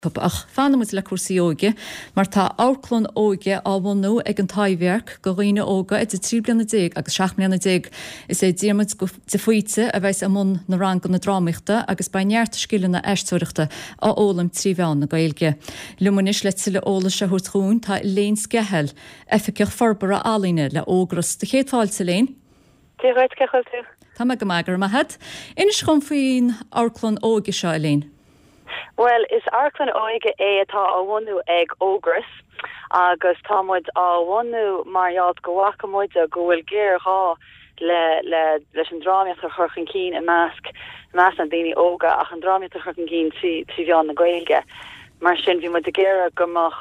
Ach fanfaidh muid le cúrsaí óige, mar tá amharclann óige á bhunú ag an Taibhdhearc do dhaoine óga idir 13 bliana agus 17 mbliana. Is é Diarmuid de Faoite a bheas i mbun na ranganna drámaíochta agus beidh neart scileanna aisteoireachta á fhoghlaim trí mheán na Gaeilge. Liom anois le tuilleadh eolais a thabhairt dhúinn tá Elaine Skehill, Oifigeach Forbartha Ealaíne le Ógras. Do chéad fáilte, Elaine. Dia dhuit, cén chaoi a bhfuil tú? Tá mé go maith, go raibh maith agat. Inis dhom faoin amharclann óige seo, Elaine. Bhuel, is amharclann óige é atá á bhunú ag Ógras agus tá muid á bhunú mar gheall go bhfaca muide go bhfuil géarghá le le leis an drámaíocht a chur chun cinn i measc i measc na ndaoine óga ach an drámaíocht a chur chun cinn trí mheán na Gaeilge. Mar sin bhí muid ag iarraidh go mbeadh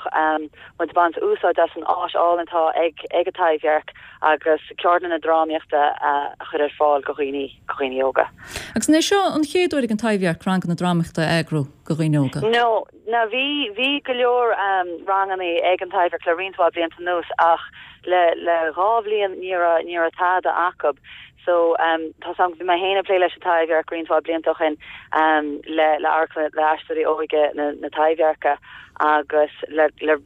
muid ag baint úsáid as an áis álainn atá ag ag an Taibhdhearc agus ceardlanna drámaíochta a chur ar fáil go dhaoine, go dhaoine óga. Agus an é seo an chéad uair ag an Taibhdhearc ranganna drámaíochta a eagrú go dhaoine óga? No, no, bhí, bhí go leor ranganna ag an Taibhdhearc le roinnt mhaith blianta anuas ach le, le dhá bhliain ní raibh, ní raibh tada acu. So, tá 's a'm, bhí mé féin ag plé leis an Taibhdhearc roinnt mhaith blianta ó shin le, le amharclann, le Aisteoirí Óige na, na Taibhdheirce agus le, le,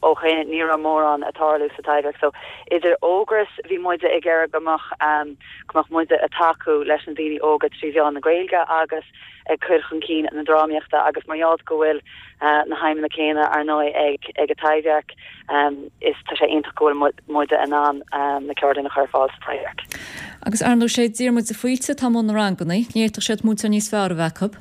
ó shin ní raibh mórán ag tarlú sa Taibhdhearc. So idir Ógras bhí muide ag iarraidh go mbeadh go mbeadh muide ag tacú leis na daoine óga trí mheán na Gaeilge agus ag cur chun cinn na drámaíochta agus mar gheall go bhfuil na haidhmeanna céanna ar ndóigh ag ag an Taibhdhearc is tá sé iontach go bhfuil muide in ann na ceardlanna a chur ar fáil sa Taibhdhearc. Agus ar ndóigh sé Diarmuid de Faoite atá i mbun na ranganna, ní fhéadfadh siad múinteoir níos fearr a bheith acu.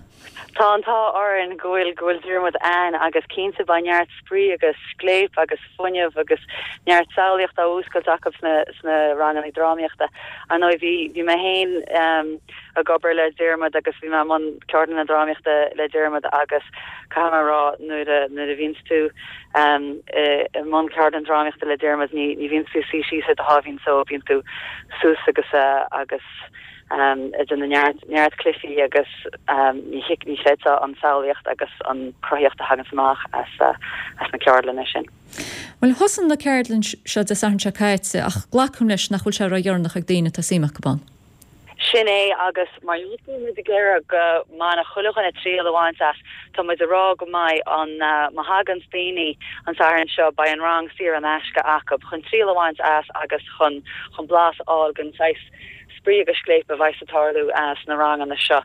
Tá an t-ádh orainn go bhfuil go bhfuil Diarmuid ann agus cinnte beidh neart spraoi agus scléip agus fuinneamh agus neart samhlaíocht á mhúscailt acu sna sna ranganna drámaíochta. Ar ndóigh bhí bhí mé féin ag obair le Diarmuid agus bhí mé i mbun ceardlanna drámaíochta le Diarmuid agus caithfidh mé a rá nuair a nuair a bhíonns tú i mbun ceardlann drámaíochta le Diarmuid ní ní bhíonns tú ag suí síos ar do sháimhín só bíonn tú suas agus agus ag déanamh neart, neart cluichí agus ní ní chreidfeá an samhlaíocht agus an cruthaíocht a thaganns amach as as na ceardlanna sin. Bhuel, thosaigh na ceardlann seo Dé Sathairn seo caite ach glacaim leis nach bhfuil sé ródheireanach ag daoine atá suim acu ann. Sin é agus mar gheall go bhfuil muid ag iarraidh go mbainfeadh chuile dhuine triail a bhaint as, tá muid ag rá go mbeidh an, má thaganns daoine an Satharn seo beidh an rang saor in aisce acu chun triail a bhaint as agus chun chun blas a fháil den saghas spraoi agus scléip a bheas ag tarlú sna ranganna seo.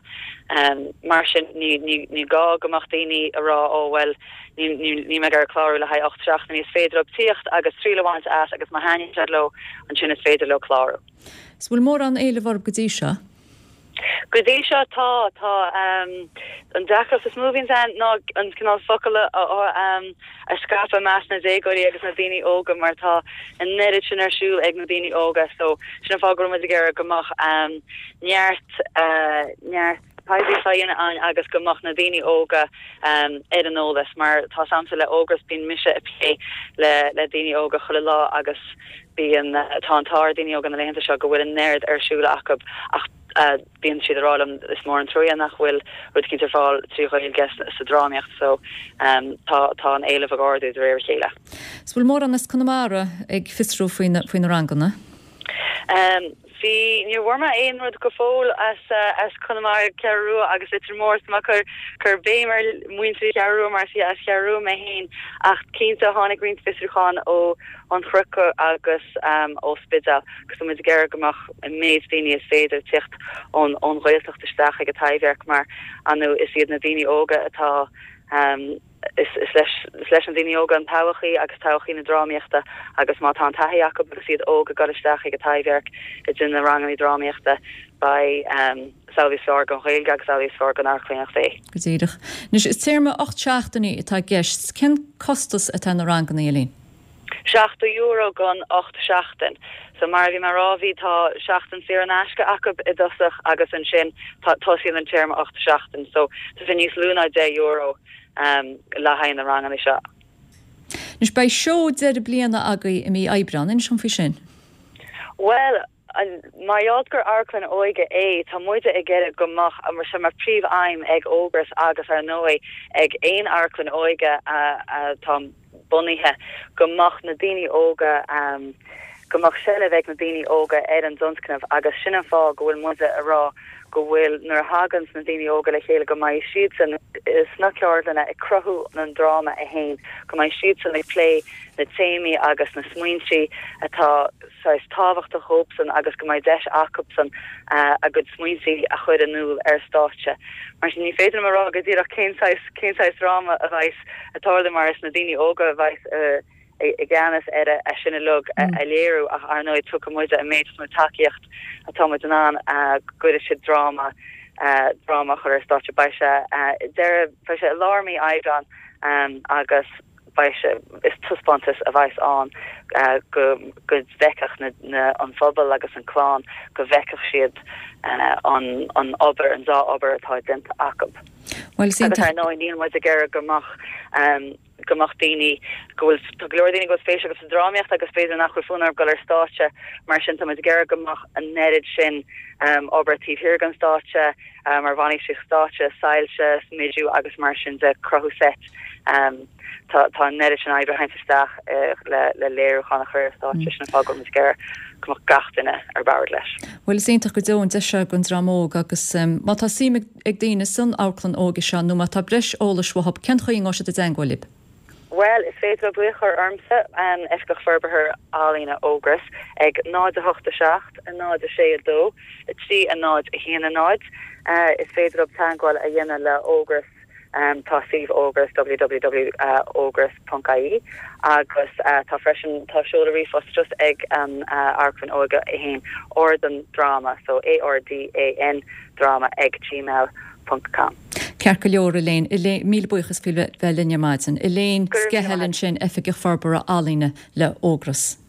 Mar sin, ní gá go mbeadh daoine ag rá 'ó bhuel, níl mé ag iarraidh clárú le haghaidh 8 seachtainí'. Is féidir leo tíocht agus triail a bhaint as agus má thaitníonn siad leo, ansin is féidir leo clárú. Is bhfuil mórán éilimh orthu go dtí seo? Go dtí seo tá, tá. An deacracht is mó a bhíonns ann ná an cineál focal a a scaipeadh i measc na déagóirí agus na daoine óga mar tá an oiread sin ar siúl ag na daoine óga so sin an fáth go raibh muid ag iarraidh go mbeadh neart neart poiblíocht á dhéanamh ann agus go mbeadh na daoine óga ar an eolas mar tá 's a'msa le Ógras bíonn mise ag plé le le daoine óga chuile lá agus bíonn tá an t-ádh ar daoine óga na laethanta seo go bhfuil an oiread ar siúl acu ach bíonn siad ag rá liom is mór an truaighe nach bhfuil rud eicínt ar fáil trí Ghaeilge sa drámaíocht so tá tá an éileamh ag ardú de réir a chéile. Is bhfuil mórán as Conamara ag fiosrú faoi na faoi na ranganna? Bhí, níor bhfuair mé aon rud go fóill as as Conamara, Ceathrú Rua agus Leitir Móir so tá mé ag cur cur béim ar mhuintir Cheathrú Rua mar is as Cheathrú Rua mé féin ach cinnte tháinig roinnt fiosrúchán ó An Chnoc agus ó Spidéal agus tá muid ag iarraidh go mbeadh an méid daoine is féidir ag tíocht ón ón Ghaeltacht isteach ag an Taibhdhearc mar ar ndóigh is iad na daoine óga atá is is leis is leis na daoine óga an todhchaí agus todhchaí na drámaíochta agus má tá an taithí acu agus iad óg ag dul isteach ag an Taibhdhearc ag déanamh na ranganna drámaíochta beidh is amhlaidh is fearr don Ghaeilge agus amhlaidh is fearr don amharclannaíocht é. Go díreach. Anois is téarma 8 seachtainí atá i gceist. Cén costas atá ar na ranganna, Elaine? €70 don 8 seachtain. So mar a bhí mé a rá bhí tá seachtain saor in aisce acu i dtosach agus ansin tá tosaíonn an téarma 8 seachtain. So tá sé níos lú ná €10 le haghaidh na ranganna seo. Anois beidh seó deireadh bliana agaibh i mí Aibreán, inis dom faoi sin. Bhuel, Mar gheall gur amharclann óige é, tá muide ag iarraidh go mbeadh sé mar príomh-aidhm ag Ógras agus ar ndóigh ag aon amharclann óige atá bunaithe go mbeadh na daoine óga, go mbeadh seilbh ag na daoine óga ar an dtionscnamh agus sin an fáth go bhfuil muide ag rá. go bhfuil nuair a thaganns na daoine óga le chéile go mbeidh siadsan sna ceardlanna ag cruthú an dráma é fhéin, go mbeidh siadsan ag plé na téamaí agus na smaointí atá saghas tábhachtach dhóibhsan agus go mbeidh deis acubsan a gcuid smaointí a chur in iúl ar stáitse. Mar sin ní féidir liom a rá go díreach cén saghas cén saghas dráma a bheas ag tarlú mar is na daoine óga a bheas i gceannas ar é sin uilig a léiriú ach ar ndóigh tugfaidh muide an méid is mó tacaíocht atá muid in ann go gcuirfidh siad dráma dráma a chur ar stáitse. Beidh sé deireadh beidh sé i lár mí Aibreán agus beidh sé is taispeántas a bheas ann go go bhfeicfeadh na na an phobal agus an clann go bhfeicfeadh siad an an obair an dá obair atá déanta acu. Bhuel, Agus ar ndóigh níl muid ag iarraidh go mbeadh go mbeadh daoine go bhfuil, tá go leor daoine go bhfuil spéis acu sa drámaíocht agus b'fhéidir nach bhfuil fonn orthu dul ar stáitse, mar sin tá muid ag iarraidh go mbeadh an oiread sin obair taobh thiar den stáitse, mar bhainistíocht stáitse, soilse, smidiú agus mar sin de, cruthú seit. Tá tá an oiread sin oibre a théanns isteach le le léiriúchán a chur ar stáitse, sin an fáth go bhfuil muid ag iarraidh go mbeadh gach duine ar bord leis. Bhuel is iontach go deo an deis seo don dream óg agus má tá suim ag. ag daoine san amharclann óige seo nó má tá breis eolais uathu, cén chaoi a ngabhfaidh siad i dteangmháil libh? Bhuel, is féidir leo glaoch a chur ormsa, Oifigeach Forbartha Ealaíne Ógras, ag 0 8 7 0 6 2 3 0 1 0. Is féidir leo teangmháil a dhéanamh le Ógras. Tá suíomh Ógras, www.ógras.ie, agus tá freisin, tá seoladh ríomhphost just ag an Amharclann Óige é féin, Ardan Dráma, so A-R-D-A-N dráma ag gmail ponc com. Ceart go leor, Elaine. Elaine, míle buíochas faoi bheith linn ar maidin. Elaine Skehill ansin, Oifigeach Forbartha Ealaíne le Ógras.